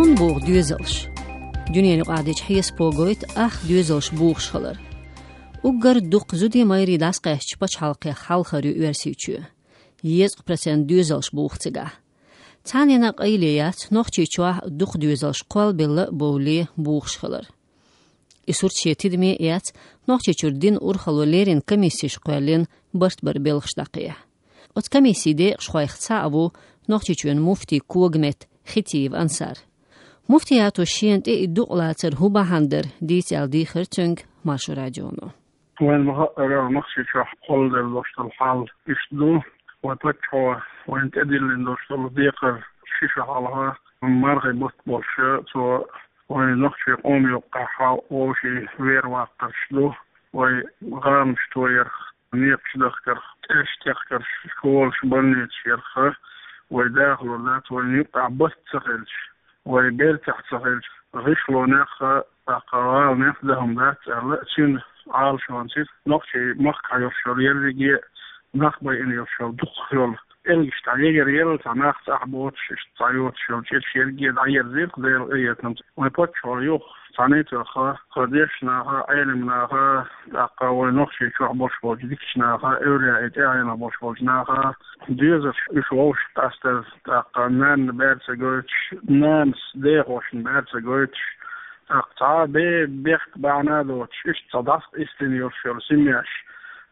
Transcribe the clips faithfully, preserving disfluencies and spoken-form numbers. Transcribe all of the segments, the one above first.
Хьун боху доьзалш. Дуьненаюкъахь дечу хьесапо гойту ах доьзалш бухуш хилар. Уггар дукха зуде майрий дӀасакъаьстча пачхьалкхех хьалхар ю Оьрсийчоь. Езткъа процент доьзалш буху цигахь. Цхьаннена а къайле яц Нохчийчохь дукха доьзалш кхолбелла а бовлий бухуш хилар. И сурт шен тидаме эцна, Нохчийчуьра динан урхалло леррина комиссеш кхоьллина барт баран белхаш дӀакхехьа. Оцу комиссин декъашхойх цхьаъ ву Нохчийчоьнан муфтин когаметта Хетиев Ансар. Муфтиято шена тӀе и дукъ лацар хӀун бахьана дара дийца аьлла дийхира цуьнга Маршо радионо. Вайн ма-хаъара, Нохчийчохь кхолладелла долуш долу хьал иштта ду. Вайн паччахьо вайна тӀедиллина долуш долу декхар ши шо хьалха, мархин бутт болуш, цо вайн нохчийн къоман юккъехь вовшийн вер ваккхарш ду, вай гӀаланаш тоярх, некъаш дахкарх, тӀерш техкарш, школаш, больницаш ярх, вай дахалур дац, вайна юккъехь барт ца хилча, вай бертахь ца хилча, гӀишлонех а, тӀаккха гӀаланех а дан хӀума дац аьлла, цуьнан Ӏалашонца нохчийн махкахь йолуш йолу ерриге а нах байина йолуш йолу дукхах йолу пӀелгаш дӀаегар елла, цхьа нах цӀахь боцуш, иштта цхьа йоцуш йолу чӀирш ерриге а дӀаерзийра Делан къинхетамца. Вайн паччахьо юха цхьаьнатоха, кху дешнаха, Ӏеламнаха, тӀаккха вайн Нохчийчохь болуш болчу дикачу наха, эвлаяийн тӀаьхьенах болуш болчу наха доьзалш уьш вовшах къастар, тӀаккха нанна бер ца гойтуш, нанас дехошна бер ца гойтуш, тӀаккха цхьа а бе-, бехк бахьана а доцуш, иштта цхьа дӀасакъаьстина йолуш йолу семьяш,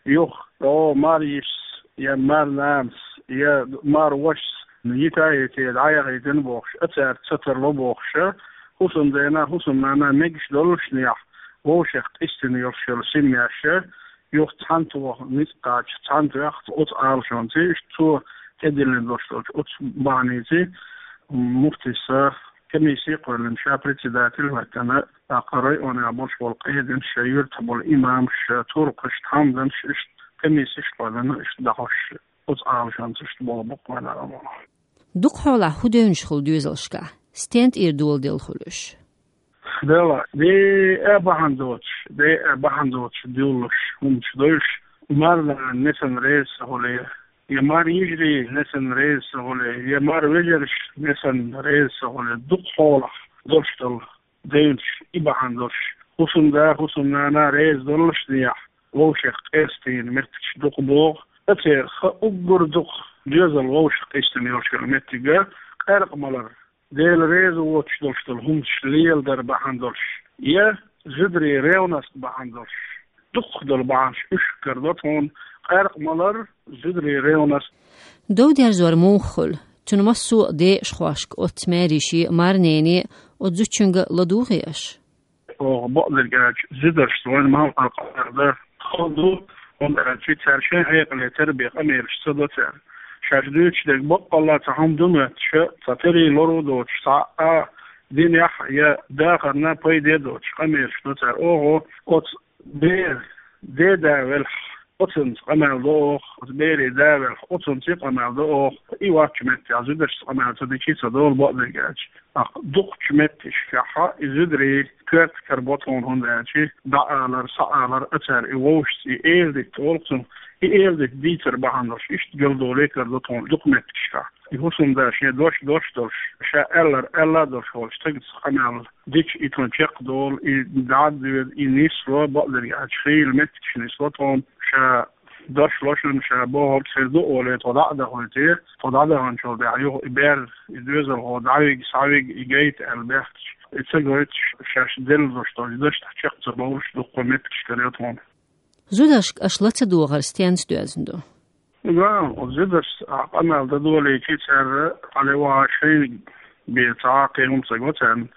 юха, о, мар йишас, я мар нанас, я мар вашас йита а йитий, дӀаяхийтина бохуш, а цаьрца ца тарло бохуш, хӀусамдена, хӀусамнана мегаш доллушехь, вовшех къаьстина йолуш йолу семьяш, юха цхьаьнатоха ницкъ кхача, цхьаьнатоьхна оцу Ӏалашонца, иштта цо тӀедиллина долуш долчу оцу бахьаница, муфтис комисси кхоьллина, ша председатель а хӀоьттина, тӀаккха районехь болуш болу къединаш, шайн юьртахь болу имамаш, туркхаш, тхьамданаш, иштта комиссеш а кхоьллина, иштта дӀахьош, оцу Ӏалашонца иштта болу бу-кх вайн Ӏаламнаха. Дукха хьолахь хӀун девнаш хуьлу доьзалшкахь? Стен тӀера доладелла хуьлу уьш? Делахь, де а бахьана доцуш, де а бахьана доцуш дуьллуш, хӀуманаш дуьллуш, марнана несана реза ца хуьлий, я мар йижарий несана реза ца хуьлий, я мар вежарш несана реза ца хуьлий, дукха хьолахь долуш долу девнаш и бахьана долуш, хӀусамда, хӀусамнана реза доллушехь, вовшех къаьстина меттигаш дукха богӀу, а церан ха уггар дукха доьзал вовшех къаьстина йолуш йолу меттиг а, къаьркъа малар, Дела реза воцуш долуш долу хӀуманаш леладар бахьана долуш, я зударийн ревность бахьана долуш, дукхах долу бахьанаш уьш карадо тхуна, къаьркъа малар, зударийн ревность. Дов дерзор муха хуьлу? Цуьнан массо а декъашхошка оццу маьрйишин а, марненан а оцу зудчуьнга ладугӀий аша? Оха бакъдерг аьлча, зударшца вайн малх къаркъа дар хала ду, хӀунда аьлча цара шайн хьекъале тера бен къамелаш ца до цара. Шаьш дуьйцуш дерг баккъалла цхьа хӀума ду моьттуш, цхьа терий лоро доцуш, цхьа а динехь я дахарна пайде доцуш къамелаш до цара. Оха оцу бер, де да велахь, оцунца къамел до оха, оцу берийн да велахь, оцунца къамел до оха. И ваччу меттехь зударшца къамел ца дичи ца долу бакъдерг аьлча. ТӀаккха дукхачу меттигашкахь и зударий коьрта карабо тхуна, хӀунда аьлча дӀаалар, схьаалар а цара и вовшашца, и эладитта олу цунах, и эладитта дийцар бахьана долуш, иштта галдоле карадо тхуна дукха меттигашкахь. И хӀусамда шен дош дош долуш, ша аьллар аьлла долуш волчу стагца къамел дича, и тхуна чекхдолу, и дӀа а доьду, и нисло, бакъдерг аьлча хийла меттигаш нисло тхуна, ша дош ло шуна, ша бохург хир ду олий, тхо дӀа а дахуьйтий, тхо дӀадаханчул тӀаьхьа юха и бер, и доьзалхо дӀавига, схьавига, и гайта аьлла бехкача, и ца гойтуш, шаьш делла долуш долчу дашна чекх ца бовлуш дуккха меттигаш карайо тхуна. Зударшка аша ла ца догӀар стенца доьзна ду? Ва, оцу зударшца ахь къамел дан долийчи, цара хьале ваха шайна бен цхьа а кхин хӀума ца го царна,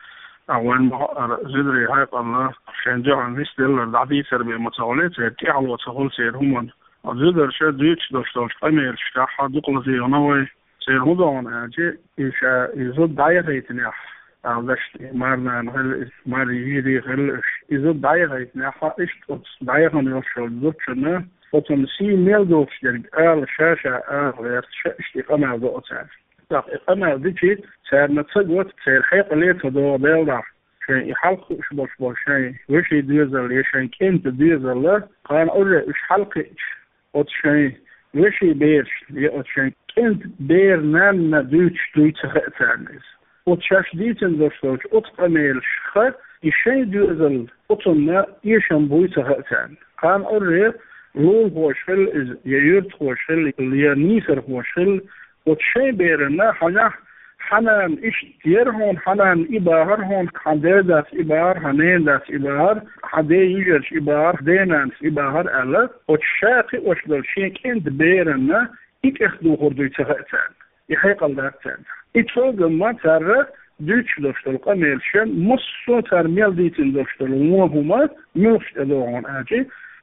а вайн ма-хаъара зударий хьекъална шайн дуьхьал нисделлар дӀадийцар бен ма ца хуьлий, церан тӀаьхьало ца хуьлу церан хӀуманна. Оцу зударша дуьйцуш долуш долчу къамелашкахь дукха лазийна вай. Церан хӀун догӀу аьлча, и ша, и зуда дӀаяхийтинехь, аьлла дашна, и марнана хилла, и мар йижарий хилла уьш. И зуда дӀаяхийтинехь, иштта оцу дӀаяхана йолуш йолчу зудчунна, оцунна сий мел доцуш дерг ала, ша-ша ала гӀерта, ша иштта и къамел до оцара. ТӀаккха и къамел дичи, царна ца го, церан хьекъале ца догӀу Делан дуьхьа. Шайн и хьалха хууш болуш болу шайн вешин доьзал я шайн кӀентан доьзал, кхана уже уьш хьалакхиъча, оцу шайн вешин берашна я оцу шайн кӀентан беран нанна дуьйцуш дуй ца хаьа царна иза. Оцу шаьш дийцина долуш долчу оцу къамелашха и шайн доьзал оцунна эшам буй ца хаьа царна. Кхана Ӏуьйре лулахоша хилла иза, я юьртахоша хилла, я нийсархоша хилла, оцу шайн беранна хьанехь, хьан нана иштта яра хьуна, хьан нана и бахара хьуна, хьан ден дац и бахара, хьан ненан дац и бахара, хьан ден йижарша и бахара, ден нанас и бахара аьлла, оцу ша кхиош долу шен кӀентан беранна и тӀехдухур дуй ца хаьа царна. И хьекъал дац царна. И цуьнга цара дуьйцуш долуш долу къамелаш, массо а цара мел дийцина долуш долу вон хӀума муьлхачу тӀедогӀу аьлча,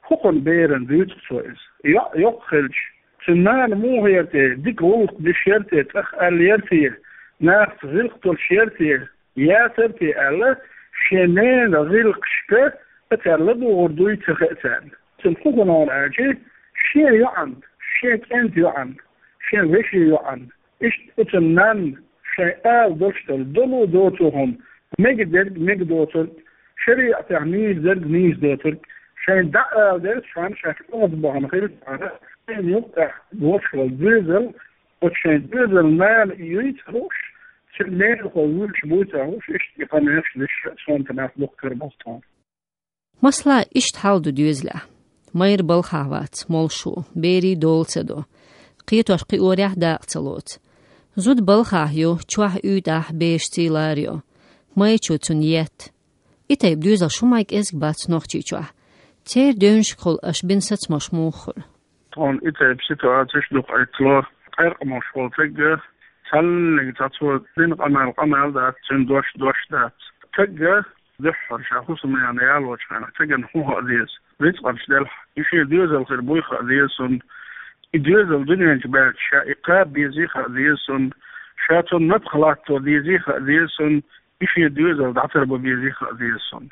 хӀокхуьнан берана дуьйцу цо иза. ЙоӀ йоккха хилча, цуьнан нана муха яра те, дика гӀуллакх деш яра те, тӀах аьлла яра те, нахаца гӀиллакх долуш яра те, яцара те аьлла, шен ненан гӀиллакхашка а цара ладугӀур дуй ца хаьа царна. Цуьнан хӀун хӀума аьлча, шен йоӀанна, шен кӀентан йоӀанна, шен вешин йоӀанна, иштта оцу нанна шайн ала долуш долу долу доцу хӀума, мегадерг мегадоцург, шариӀатехь нийса дерг нийса доцург, шайн дӀаала дерг шен шаьш оьгӀаз бахана хилча, шайна юккъехь болуш волу доьзал, оцу шайн доьзалан нана и юй ца хууш, цуьнан ненахо вуьйцуш буй ца хууш, иштта и къамелаш деш сонта нах дуккха боху тхуна. Масала, иштта хьал ду доьзалехь. Майра балхахь вац, молуш ву, берийн дола ца до. Кхетош кхиорехь дакъа ца лоцу. Зуда балхахь ю, чохь уьйтӀахь бераш цӀий лара йо. Майрачо цунна етта. И тайпа доьзалш хӀумма кӀезиг бац Нохчийчохь. Церан девнашкахула аша бина сацамаш муха хуьлу? Тхуна и тайпа ситуацеш дукха Ӏиттало. Къаьркъа молуш волу стаг, цхьаннега цхьа цо дина къамел къамел дац, цуьнан дош дош дац. Стаг дуьххьара ша хӀусамнана ялочу хенахь, стагана хӀун хаа деза? Рицкъанаш делахь, и шен доьзал хир буй хаа деза цунна. И доьзал дуьнен чу баьлча, ша и кхаба безий хаа деза цунна. Ша цунна напха латто дезий хаа деза цунна. И шен доьзал дӀатарбан безий хаа деза цунна.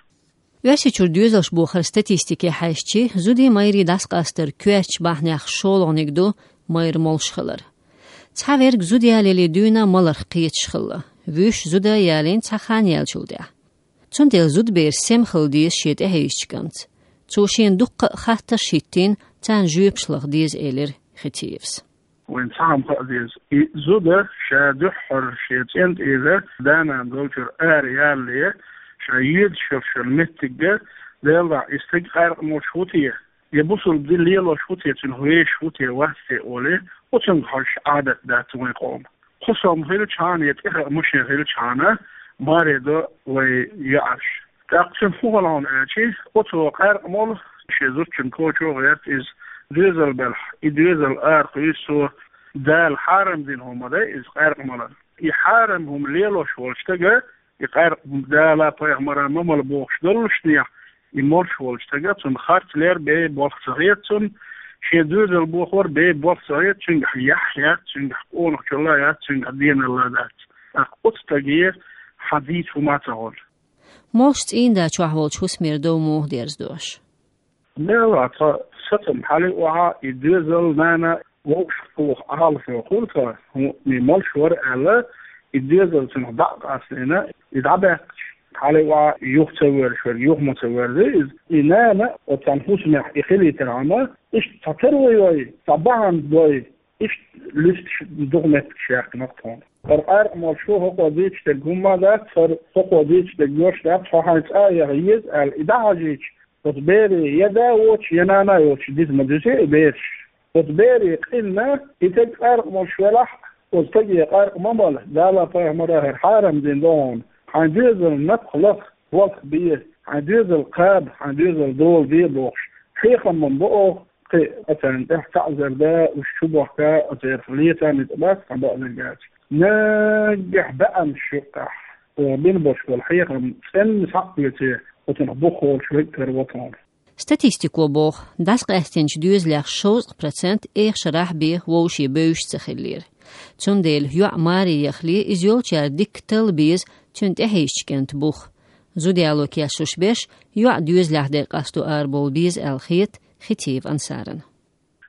Оьрсийчуьра доьзалш бохаран статистике хьаьжчи, зудий, майрий дӀасакъастаран коьртачу бахьанех шолгӀаниг ду майра молуш хилар. Цхьаверг зуда ялале дуьйна маларх кхеташ хилла, вуьш зуда ялийна цхьа хан яьллачул тӀаьхьа. Цундела зудабераш сема хила деза шен тӀехьийзачу кӀантаца. Цо шена дуккха а хаттарш а хӀиттийна, царна жоьпаш лаха деза, элира Хетиевас. Вайна цхьа хӀума хаа деза. И зуда ша дуьххьара шен цӀен тӀера да-нана долчуьра ара ялале, ша йоьдуш йолу меттигга, Делан дуьхьа, и стаг къаьркъа молуш ву те, я бусалба дин лелош ву те, цуьнан вешаш ву те, вац те олий, оцунга хьожуш Ӏадат дац вайн къоман. Кхо сом хилчахьана я тӀехаа машен хилчахьана, маре до вайн йоӀарш. ТӀаккха цуьнан хӀун хала хьуна аьлчи, оцо къаьркъа молу, шен зудчун кочо а гӀерта иза, доьзал белахь, и доьзал арахуьйсу цо, Дала хьарам дина хӀума ма дай иза къаьркъа малар. И хьарам хӀума лелош волчу стага, и къаьркъа Дала, пайхамара ма мала бохуш доллушехь, и молуш волчу стага, цунна харц лер бен болх ца хета цунна, шен доьзал бохор бен болх ца хета, цуьнгахь яхь яц, цуьнгахь къонахчалла яц, цуьнгахь деналла дац. ТӀаккха оцу стаге хьан дийца хӀума ца хуьлу. Молуш цӀийнда чохь волчу хӀусамера дов муха дерзадо аша? Мела, тхан сацам хьалий охьа, и доьзал, нана вовшахтоха Ӏалашо хуьлу тхан, хӀунда и молуш вара аьлла, и доьзал цунах дӀа а къастийна, и дӀабаьккхича, хьалий охьа юха ца воьрзуш верг, юха ма ца воьрзу иза. И нана оцу цхьана хӀусамехь и хилийтархьама, иштта цхьа тара вай, цхьа бахьана дой, иштта луьстуш дукха меттигаш яьккхина-кх тхуна. ХӀара къаьркъа молуш ву, хӀокхо дийцуш дерг хӀумма а дац, хӀара хӀокхо дийцуш дерг йош дац, хьо хьайн цӀа а яха еза аьлла, и дӀахьажийча, оцу бере я да воцуш, я нана йоцуш диз ма дуьсу и бераш. Оцу бере къинна, и стаг къаьркъа молуш велахь а, оцу стаге къаьркъа ма мала, Дала, пайхамара хӀара хьарам дина ду хьуна. Хьайн доьзална напха лаха, болх бе, хьайн доьзал кхаба, хьайн доьзал дола де бохуш, хьехам ма бо оха, кхин а царна тӀехь таӀзар да, уьш чу бохка, оцерах лета а ницкъ бац, хьан баъзарг аьлча. Наггахь баьӀанаш юккъехь, оха бина болуш болу хьехам цӀенна схьа а оьций, оцунах бухахволуш верг тера ву тхуна. Статистико боху, дӀасакъаьстинчу доьзалех шовзткъа процент эха шарахь бен вовшийн бевзаш ца хиллера. Цундела йоӀ маре яхале, иза йолчара дикка талла беза цуьнан тӀехьийзачу кӀентан бух. Зуда яло кечлуш берш йоӀ доьзалехь дерг къасто арабовла беза аьлла хета Хетиев Ансарна.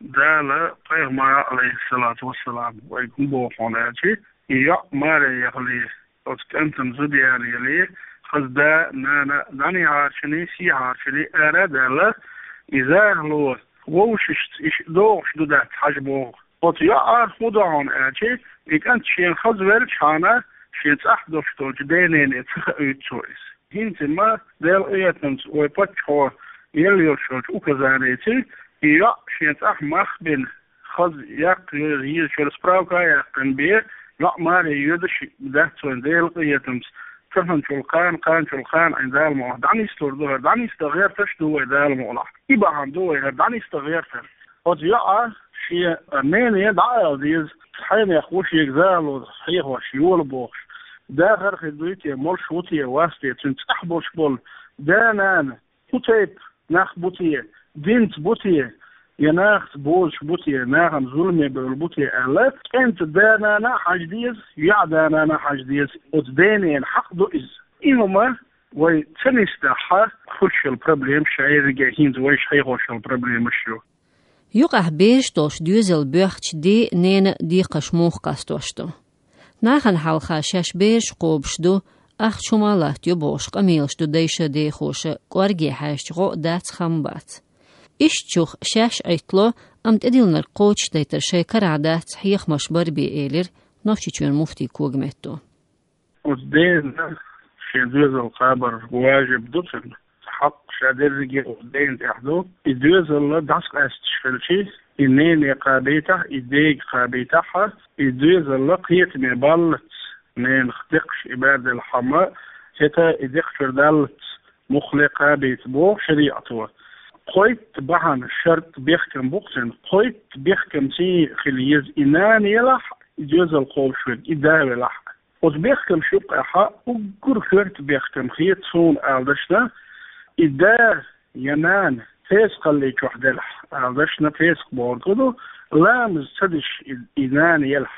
Дала, пайхамара, алейхиссалату вассалам, вайга хӀун боху хьуна аьлчи, и йоӀ маре яхале, оцу кӀантана зуда ялале, хаза да, нана дӀанехьарчуний, сехьарчуний ара а даьлла, и захало вовшашца иштта догӀуш ду дац хьажа боху. Оцу йоӀара хӀун до хьуна аьлчи, и кӀант шена хаза велчахьана, Шен цӀахь долуш долчу денене ца хаийту цо иза. ХӀинца ма Делан къинхетамца вай паччахьо елла йолуш йолчу указаница и йоӀ шен цӀахь мах бина, хаза яккха йо-, езачуьра справка а яьккхина бен, йоӀ маре йоьдуш дац вайн Делан къинхетамца. Цхьанчул кхана, кханчул кхана Ӏайн Дала ма вахь, дӀанислур ду хӀара, дӀанисдан гӀерташ ду вай Дала ма вахь. И бахьана ду вай хӀара дӀанисдан гӀертар. Оцу йоӀа шен нене дӀаала деза, хьенех ву шега зало хьехош йола бохуш. Дахар хир дуй те, молуш ву те, вац те, цуьнан цӀахь болуш болу да-нана хӀун тайпа нах бу те, динца бу те, я нахаца бозуш бу те, нахана зуламе бевлла бу те аьлла, кӀентан да-нана а хьажа деза, йоӀан да-нана а хьажа деза. Оцу денена хьакъ ду иза. И хӀума вай ца нисдахь, хуьлуш йолу проблемаш ша ерриге а хӀинца вайша хьехош йолу проблемаш ю. Юкъахь бераш долуш доьзал боьхначу ден а, ненан а декхарш муха къастош ду? Нахана хьалха шаьш бераш кхобуш ду, ахча хӀума а латтайо бохуш къамелаш ду дайша, дехоша, кӀорге хьаьжча гӀо а дац, хам а бац. Ишттачух шаьш Ӏиттало, амма тӀедиллинарг кхочушдайтар шайн карахь дац, хьехамаш бара бен, элира Нохчийчоьнан муфти Когаметто. Оцу дена шен доьзал кхабар важиб ду цуьнан, хьакъ ша дерриге оцу дена тӀехь ду. И доьзал дӀасакъаьсташ хилчи, и нене кхабийтахь, и дега кхабийтахь, и доьзал кхетаме баллалц, ненах декхаш и бер делахь хьама, хӀета и декхачуьра даллалц муххале кхабийта боху шариӀато. Кхойтта бахьана, шарт, бехкам бу-кх цуьнан, кхойтта бехкамца хила еза: и нана елахь, и доьзал кхобуш верг, и да велахь. Оцу бехкамаш юккъехь уггар коьрта бехкам хета суна ала дашна, и да я нана песакхалли чохь делахь, ала дашна, песакх бохург хӀун ду, ламаз ца деш и, и нана елахь,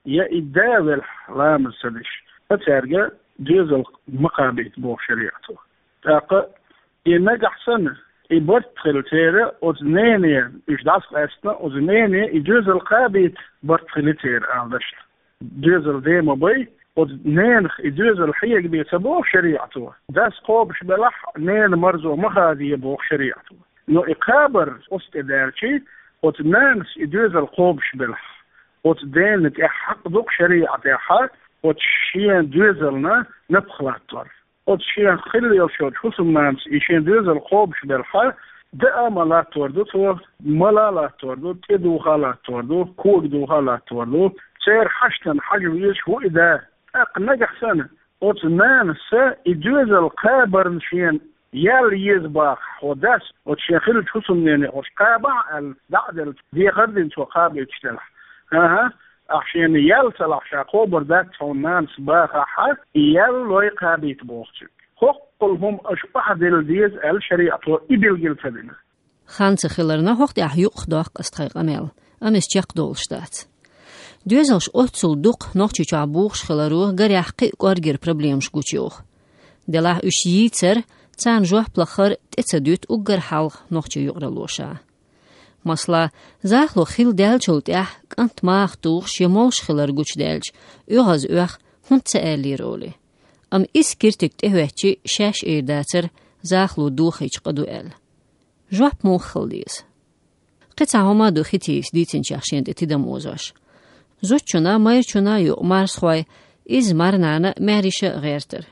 я и да велахь, ламаз ца деш, ткъа цаьрга доьзал ма кхабийта боху шариӀато. ТӀаккха и нагахь санна, и барт хилла церан, оцу нене, уьш дӀасакъаьстина, оцу нене и доьзал кхабийта барт хилла церан, ала дашна. Доьзал ден ма бай, оцу ненах и доьзал хьега бен ца боху шариӀато. Дас кхобуш белахь, ненан марзо ма хадае боху шариӀато. Но и кхабар оцу тӀе даьлчи, оцу нанас и доьзал кхобуш белахь, оцу дена тӀехь хьакъ ду-кх шариӀатехь оцу шен доьзална напха латтор. Оцу шен хилла йолчу хӀусамнанас и шен доьзал кхобуш белахь, даа а ма латтор ду цо, мала а латтор ду, тӀе духа а латтор ду, кога духа а латтор ду. Церан хьаштана хьажа везаш ву и да. ТӀаккха нагахь санна, оцу нанас и доьзал кхабарна шена ял еза бахахь хьо дас, оцу шен хиллачу хӀусамнене оцу кхабахь аьлла, дӀа а делла, дехар а дина цо кхабуьйтуш делахь. ХӀан-хӀа, ахь шена ял ца лахь, ша кхобур дац хьуна нанас бахахь, и ял лой кхабийта боху цуьнга. ХӀоккхул хӀума аша охьадилла деза аьлла шариӀато и билгал ца дина. Хан ца хиларна, хӀокху тӀехь юкъахдоккху ас тхайн къамел, амма иза чекхдолуш дац. Доьзалш оццул дукха Нохчийчохь бухуш хиларо гарехь кхин а кӀоргера проблемаш гучуйоху. Делахь уьш йийцар, царна жоп лахар тӀе ца дуьту уггар хьалха нохчийн юкъаралло ша. Масала, захало хилла даьллачул тӀаьхьа кӀант маха тухуш я молуш хилар гучудаьлча, оьгӀаз оьху: «ХӀунда ца аьллера?» олий. Амма иза киртиг тӀехӀоьттичи, шаьш эр дацара, захало дохийча къа ду аьлла. Жоп муха хила деза? Кхин цхьа хӀума а ду Хетийс дийцинчех шена тӀе тидам озош. Зудчунна, майрачунна юкъа марзхой, иза марнана, маьрйиша а гӀертар.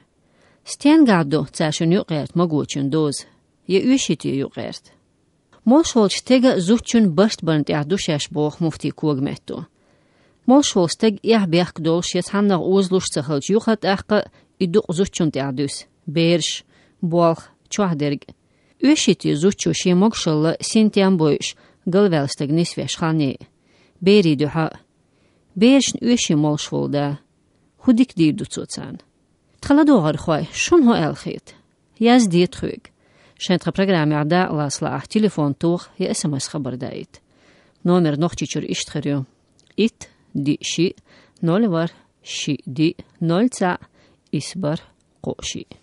Стенгахь ду цаьршинна юкъагӀерта магочун доза? Я оьший те юкъагӀерта? Молуш волчу стеган, зудчун барт барна тӀехь ду шаьш, боху муфти Когаметто. Молуш волу стаг эхь-бехк долуш я цхьаннах озалуш ца хилча, юха а тӀаккха и дукъ зудчунна тӀехь дуьсу: бераш, болх, чохь дерг. Оьший те зудчо шен могушалла, синтем бойуш, галваьлла стаг нисвеш хан е? Берийн дуьхьа а. Берашна оьший молуш волу да. ХӀун дика дийр ду цо царна? Тхан ладогӀархой, шуна хӀун аьлла хета? Язде тхоьга. Шайн тхан программехь дакъалаца лаахь, телефон тоха я СМС хабар даийта. Номер Нохчийчуьра иштта хир ю: итт, диъ, шиъ, ноль, ворхӀ, шиъ, диъ, ноль, цхьаъ, исс, бархӀ, кхоъ, шиъ.